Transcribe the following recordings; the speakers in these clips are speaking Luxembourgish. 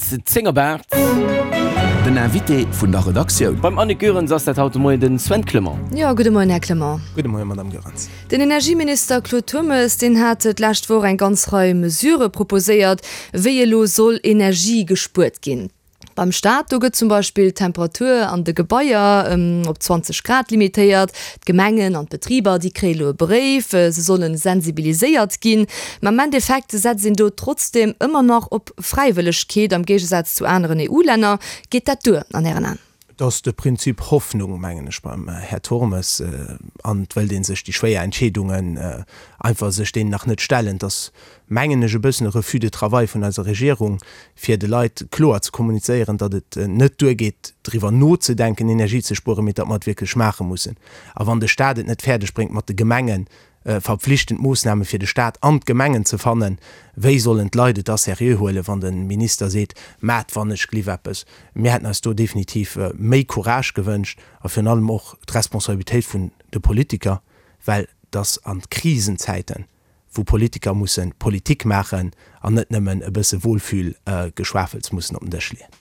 10 op 8. Den Invité vun der Redaktioun. Beim Annick Goerens ass dat haut de Moien den Sven Clement. Jo, gudde Moien, Här Clement. Gudde Moien, Madame Goerens. Den Energieminister Claude Turmes, deen hat d'lescht Woch eng ganz Rei Mesurë proposéiert, wéi elo soll Energie gespuert ginn. Beim Staat, do gëtt zum Beispill d'Temperatur an de Gebaier op 20 Grad limitéiert. D'Gemengen an d'Betriber, déi kréie lo e Bréif, se solle sensibiliséiert ginn. Ma am Endeffekt setzt een do trotzdeem ëmmer nach op Fräiwëllegkeet, am Géigesaz zu aneren EU-Länner. Geet dat duer an Ären Aen? Et ass de Prinzip Hoffnung, mengen ech, beim Här Turmes. An et wëllt ee sech déi schwéier Entscheedungen einfach sech deenen nach net stellen. Et ass, mengen ech, e bëssen e Refus de travail vun eiser Regierung, fir de Leit kloer ze kommunizéieren, datt et net duergeet, driwwer nozedenken, Energie ze spueren, mee datt mer et wierklech maache mussen. A wann de Stat et net fäerdeg bréngt, mat de Gemengen verpflichtend Moossname fir de Staat an d'Gemengen ze fannen, wéi sollen d'Leit et da seriö huelen, wann de Minister seet, Maat wann ech gliff eppes. Mir hätten eis do definitiv méi Courage gewënscht a virun allem och d'Responsabilitéit vun de Politiker, well et ass a Krisenzäiten, wou Politiker musse Politik maachen an net nëmmen e bësse Wohlfühlgeschwafels mussen op den Dësch leeën.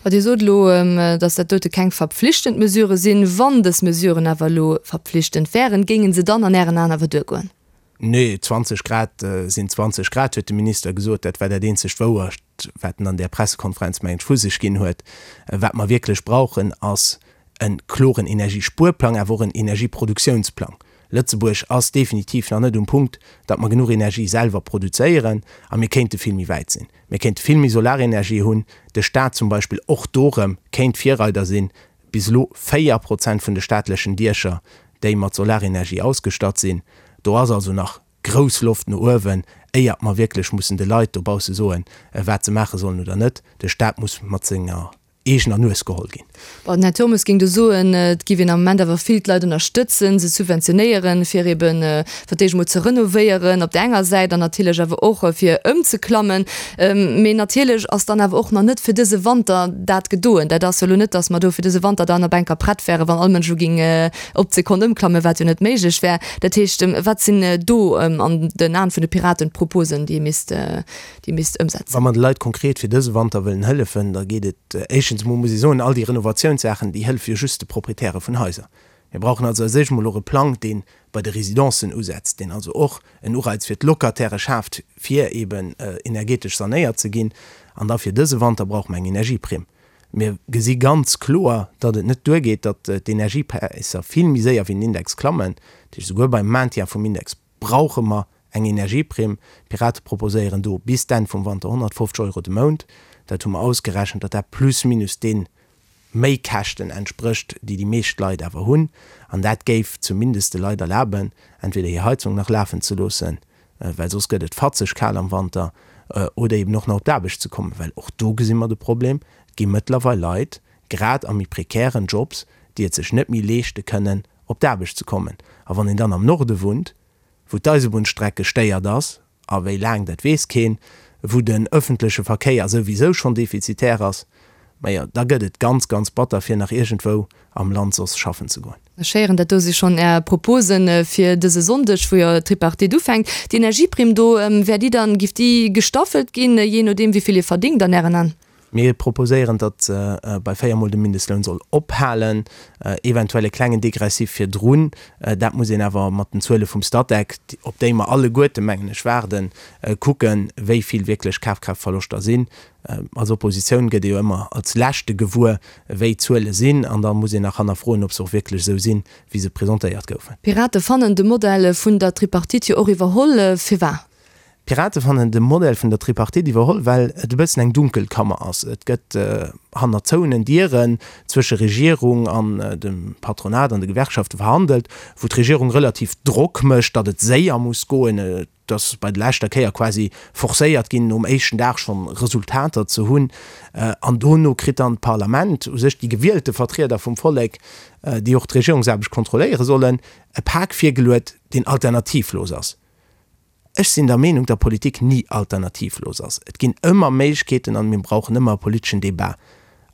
Ma Dir sot elo, datt dat dote keng verpflichtend Mesurë sinn. Wann dës Mesuren awer elo verpflichtend wären, géinge se dann an Ären Aen awer duergoen? Nee, 20 Grad sinn 20 Grad, huet de Minister gesot. Dat war dat eenzegt Wouert, wat en an där Pressekonferenz, mengen ech, vu sech ginn huet. Wat mer wierklech brauchen, ass e kloren Energiespuerplang, awer och en Energieproduktiounsplang. Lëtzebuerg ass definitiv nach net um Punkt, datt mer genuch Energie selwer produzéieren a mir kéinte vill méi wäit sinn. Mir kéinte vill méi Solarenergie hunn, de Staat zum Beispill och do erëm kéint Virreider sinn. Bis elo 4 Prozent vun de staatlechen Diecher, déi mat Solarenergie ausgestatt sinn. Do ass also nach grouss Loft no uewen, éiert mer wierklech mussen de Leit dobausse soen, wat se maache sollen oder net. De Staat muss mat senger eegener Nues geholl ginn. Bon, den Här Turmes géing do soen, et giff een am Moment awer vill d'Leit ënnerstëtzen, se subventionéieren, fir eben fir d'éischt emol ze renovéieren op där enger Säit an natierlech awer och fir ëmzeklammen. Mee natierlech ass dann awer och nach net fir dëse Wanter dat gedoen. Dat ass jo elo net, datt mer do fir dëse Wanter dann op enker prett wären, wann all Mënsch elo géing op d'Sekonn ëmklammen, wat jo net méiglech wär. Dat heescht, wat sinn do an den Aen vun de Piraten d'Proposen, déi ee misst déi misst ëmsetzen. Wa mer de Leit konkret fir dëse Wanter wëllen hëllefen, da geet et éischtens emol, muss ee soen, all déi Renovatiounssaachen, déi hëllefe jo just de Proprietäre vun Haiser. Mir brauchen also als éischt emol och e Plang, dee bei de Residencen usetzt, deen also och en Ureiz fir d'Locataire schaaft, fir eeben energetesch sanéiert ze ginn. An da fir dëse Wanter brauche mer eng Energieprimm. Mir gesi ganz kloer, datt et net duergeet, datt d'Energiepräisser vill méi séier wéi den Index klammen. Dat heescht, esouguer beim Maintien vum Index brauche mer eng Energieprimm. D'Pirate proposéieren do bis d'Enn vum Wanter 150 Euro de Mount. Dat hu mer ausgerechent, datt dat plus minus de Méikäschten entsprécht, déi déi meescht Leit awer hunn. An dat géif zumindest de Leit erlaben, entweder hir Heizung nach lafen ze loossen, well soss gëtt et fatzeg kal am Wanter, oder eben och nach op d'Aarbecht ze kommen. Well och do gesi mer de Problem, Et gi mëttlerweil Leit, grad a méi prekären Jobs, déi et sech net méi leeschte kënnen, op d'Aarbecht ze kommen. A wann een dann am Norde wunnt, wou d'Eisebunnstreck gestéiert ass, a wéi laang, dat weess keen, wou den ëffentleche Verkéier souwisou schonn defizitär ass, majo, da gëtt et ganz, ganz batter, fir nach iergendwou am Land soss schaffen ze goen. Ech héieren, dat do si schonn Är Proposen fir dëse Sonndeg, wou jo d'Tripartite ufänkt. Déi Energieprimm do, wär déi dann, giff déi gestaffelt ginn, jee nodeem wéi vill ee verdingt an Ären An? Mir proposéieren, datt se bei véiermol dem Mindestloun soll ophalen, eventuell e klengen Degressif virdrun. Dat muss een awer mat den Zuele vum Statec, op déi mer alleguerte, mengen ech, waarden, kucken, wéi vill wierklech Kafkraaftverloschter sinn. Als Oppositioun gëtt ee jo ëmmer als Leschte gewuer, wéi d'Zuele sinn, an da muss een nach hannerfroen, ob se och wierklech esou sinn, wéi se presentéiert goufen. D'Pirate fannen de Modell vun der Tripartite jo och iwwerholl. Firwat? D'Pirate fannen de Modell vun der Tripartite iwwerholl, well et e bëssen eng Dunkelkammer ass. Et gëtt hanner zouenen Dieren zwësche Regierung an dem Patronat an de Gewerkschafte verhandelt, wou d'Regierung relativ Drock mécht, datt et séier muss goen. Et ass bei der leschter Kéier quasi forcéiert ginn, nom éischten Dag schonn Resultater ze hunn. An dono kritt dann d'Parlament, u sech déi gewielte Vertrieder vum Vollek, déi och d'Regierungsaarbecht kontrolléiere sollen, e Pak virgeluet, deen alternativlos ass. Ech sinn der Meenung, datt Politik ni alternativlos ass. Et ginn ëmmer Méiglechkeeten an mir brauchen ëmmer e politeschen Debat.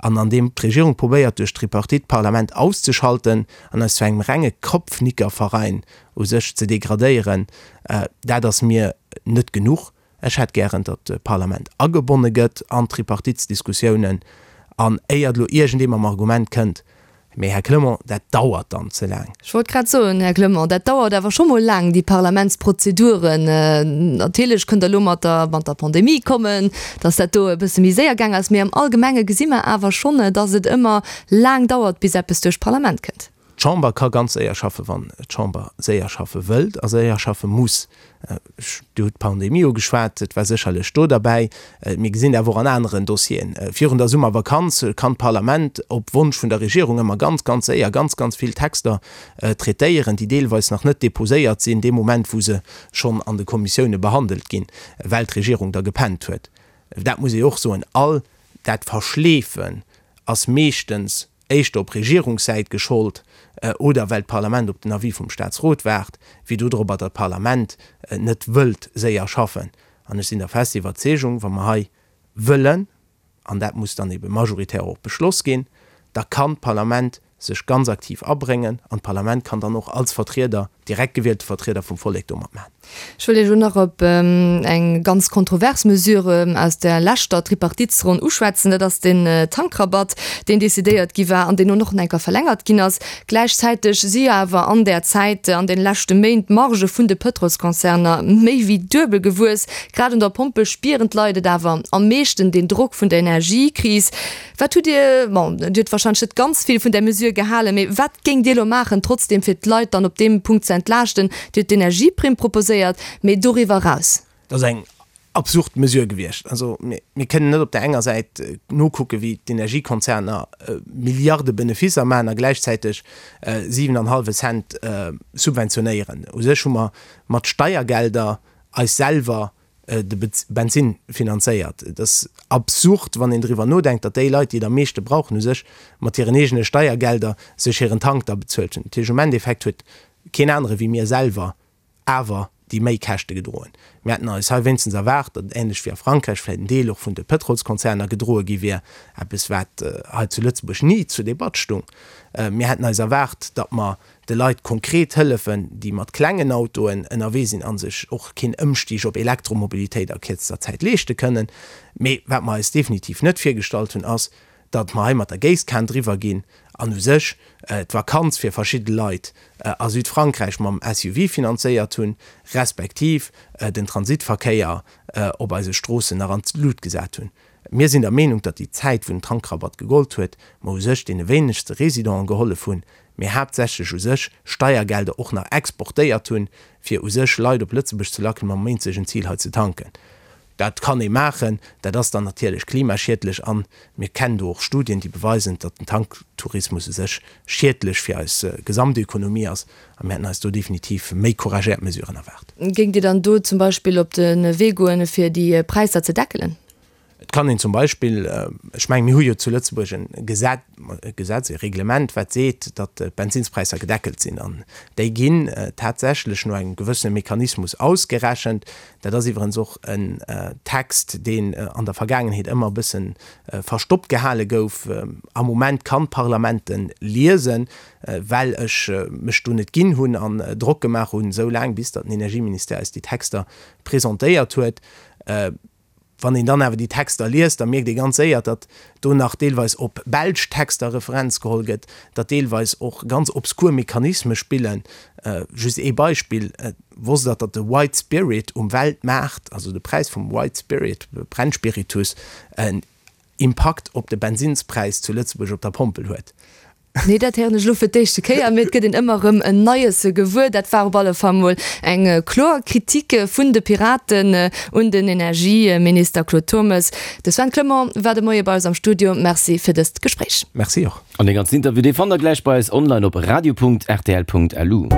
An an deem d'Regierung probéiert duerch d'Tripartite d'Parlament auszeschalten an eis zu engem renge Kopfnickerverein u sech ze degradéieren, dat ass mir net genuch. Ech hätt gären, datt d'Parlament agebonne gëtt an d'Tripartitsdiskussiounen. An éiert elo iergendee mam Argument kënnt, Mee Här Clement, dat dauert dann ze laang. Ech wollt grad soen, Här Clement, dat dauert awer scho mol laang, déi Parlamentsprozeduren. Natierlech kënnt Der elo mat der, mat der Pandemie kommen, datt dat do e bësse méi séier gaang ass. Mee am Allgemenge gesi mer awer schonn, datt et ëmmer laang dauert, bis eppes duerch d'Parlament kënnt. D'Chamber ka ganz séier schaffen, wann d'Chamber séier schaffe wëllt a séier schaffe muss. Dir hutt d'Pandemie ugeschwat, et war sécherlech do derbäi. Mir gesinn dat awer och an aneren Dossieren. Virun der Summervakanz kann d'Parlament op Wonsch vun der Regierung ëmmer ganz, ganz séier ganz, ganz vill Texter traitéieren, déi deelweis nach net deposéiert sinn dee Moment, wou se schonn an de Kommissioune behandelt ginn, well d'Regierung da gepennt huet. Dat muss ee och soen, all dat Verschleefen ass meeschtens éischter op Regierungssäit geschollt oder well d'Parlament op den Avis vum Staatsrot waart, wéi dodropper, datt d'Parlament net wëllt séier schaffen. An ech sinn der fester Iwwerzeegung, wa mer hei wëllen, an dat muss dann ebe majoritär och beschloss ginn, da kann d'Parlament sech ganz aktiv abréngen an d'Parlament kann dann och als Vertrieder, direkt gewielte Vertrieder vum Vollek do matmaachen. Ech wëll Iech elo nach op eng ganz kontrovers Mesure aus der leschter Tripartitesronn uschwätzen. Dat ass den Tankrabatt, deen decidéiert gi war an deen elo nach eng Kéier verlängert ginn ass. Gläichzäiteg si jo awer an där Zäit, an deene leschte Méint, d'Margë vun de Pëtrolskonzerner méi wéi duebel gewuess. Grad un der Pompel spieren d'Leit et awer am meeschten, deen Drock vun der Energiekris. Wat hutt Dir, bon, Dir hutt wahrscheinlech net ganz vill vun där Mesure gehalen, mee wat géingt Dir elo maachen trotzdem, fir d'Leit dann op deem Punkt ze entlaaschten? Dir hutt d'Energieprimm proposéiert, mee doriwwer eraus? Dat ass eng absurd Mesure gewiescht. Also mir kënnen net op där enger Säit nokucken, wéi d'Energiekonzerner Milliarde Benefisser maachen a gläichzäiteg 7 an hallwe Cent subventionéieren. U sech hu mer mat Steiergelder eis selwer de Bensinn finanzéiert. Et ass absurd, wann een driwwer nodenkt, datt déi Leit, déi et am meeschte brauchen, u sech mat hiren eegene Steiergelder sech hiren Tank da bezuelt hunn. Dat heescht, um Endeffekt huet keen anere wéi mir selwer awer déi Méikäschte gedroen. Mir hätten eis hei wéinstens erwaart, datt et änlech wéi a Frankräich vläicht en Deel och vun de Pëtrolskonzerner gedroe gi wier, eppes wat hei zu Lëtzebuerg ni zur Debatt stung. Mir hätten eis erwaart, datt mer de Leit konkret hëllefen, déi mat klengen Autoen ënnerwee sinn a sech och keen Ëmstig op Elektromobilitéit a kierzester Zäit leeschte kënnen. Mee wat mer eis definitiv net virgestallt hunn, ass, datt mer hei mat der Géisskan driwwer ginn an u sech d'Vakanz fir verschidde Leit a Südfrankräich mam SUV finanzéiert hunn, respektiv den Transitverkéier op eise Stroossen nach an d'Lut gesat hunn. Mir sinn der Meenung, datt déi Zäit, wou den Tankrabatt gegollt huet, mer u sech deene wéinegste Residenten gehollef hunn, mee haaptsächlech u sech Steiergelder och nach exportéiert hunn, fir u sech Leit op Lëtzebuerg ze lacken, mam eenzegen Zil hei ze tanken. Dat kann ee maachen, dat ass dann natierlech klimaschiedlech an mir kennen do och Studien, déi beweisen, datt den Tanktourismus u sech schiedlech fir eis Gesamtökonomie ass a mir hätten eis do definitiv méi couragéiert Mesuren erwaart. Géingt Dir dann do zum Beispill op de Wee goen, fir déi Präisser ze deckelen? Et kann een zum Beispill, ech mengen, mir hu jo zu Lëtzebuerg e Gesetz, e Gesetz, e Reglement, wat seet, datt d'Benzinspräisser gedeckelt sinn. An déi ginn tatsächlech no engem gewëssene Mechanismus ausgerechent. Dat ass iwwerens och en Text, deen an der Vergaangenheet ëmmer e bësse verstoppt gehale gouf. Am Moment kann d'Parlament en liesen, well ech mech do net ginn hunn an Drock gemaach hunn, esou laang, bis datt den Energieministère eis déi Texter presentéiert huet. Wann een dann awer déi Texter liest, da mierkt ee ganz séier, datt do nach deelweis op belsch Texter Referenz geholl gëtt, datt deelweis och ganz obskur Mechanisme spillen. Just ee Beispill, Wosst Der, datt de White Spirit um Weltmaart, also de Präis vum White Spirit, Brennspiritus, en Impakt op de Bensinnspräis zu Lëtzebuerg op der Pompel huet? Nee, dat héieren ech elo fir d'éischte Kéier, mee et gëtt een ëmmer erëm en Neies gewuer. Dat war op alle Fall mol eng kloer Kritik vun de Piraten un den Energieminister Claude Turmes. De Sven Clement war de Moie bei eis am Studio. Merci fir dëst Gespréich. Merci och. An dee ganzen Interview, dee fannt der gläich bei eis online op radio.rtl.lu.